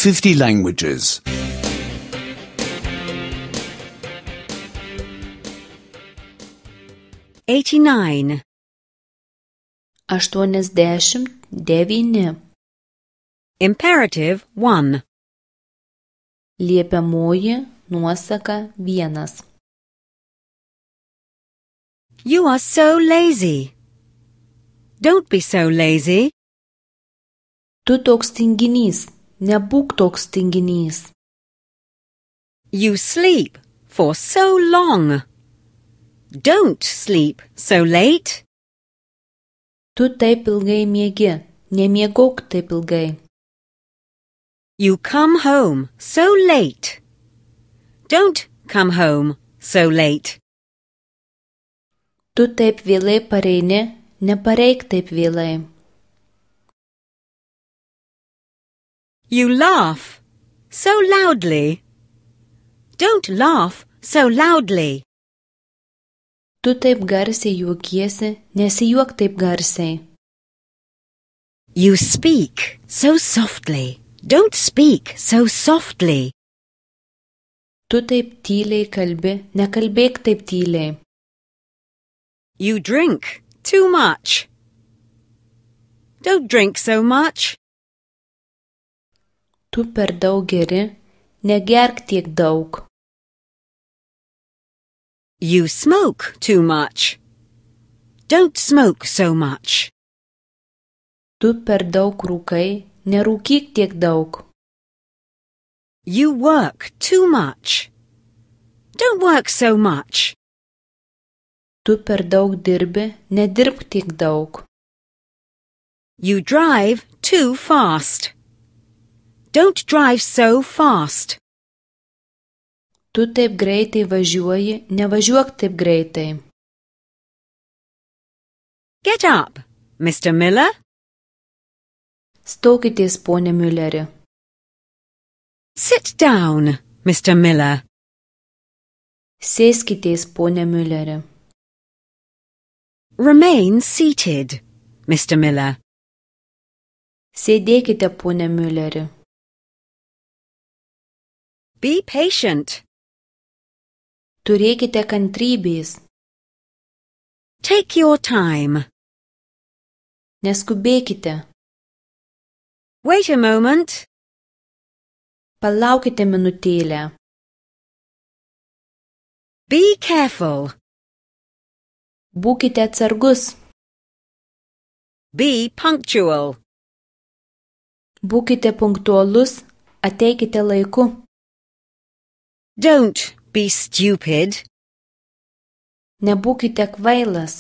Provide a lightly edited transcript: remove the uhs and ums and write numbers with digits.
50 languages. 89. 89. Imperative 1. Liepiamoji nuosaka 1. You are so lazy. Don't be so lazy. Tu toks tinginys, nebūk toks tinginys. You sleep for so long. Don't sleep so late. Tu taip ilgai miegi, nemiegok taip ilgai. You come home so late. Don't come home so late. Tu taip vėlai pareini, nepareik taip vėlai. You laugh so loudly. Don't laugh so loudly. Tu taip garsiai juokiesi, nesijuok taip garsiai. You speak so softly. Don't speak so softly. Tu taip tyliai kalbi, nekalbėk taip tyliai. You drink too much. Don't drink so much. Tu per daug geri, negerk tiek daug. You smoke too much. Don't smoke so much. Tu per daug rūkai, nerūkyk tiek daug. You work too much. Don't work so much. Tu per daug dirbi, nedirbk tiek daug. You drive too fast. Don't drive so fast. Tu taip greitai važiuoji, nevažiuok taip greitai. Get up, Mr. Miller. Stokitės, pone Mülleri. Sit down, Mr. Miller. Sėskitės, pone Mülleri. Remain seated, Mr. Miller. Sėdėkite, pone Mülleri. Be patient. Turėkite kantrybės. Take your time. Neskubėkite. Wait a moment. Palaukite minutėlę. Be careful. Būkite atsargus. Be punctual. Būkite punktualus, ateikite laiku. Don't be stupid. Nebūkite kvailas.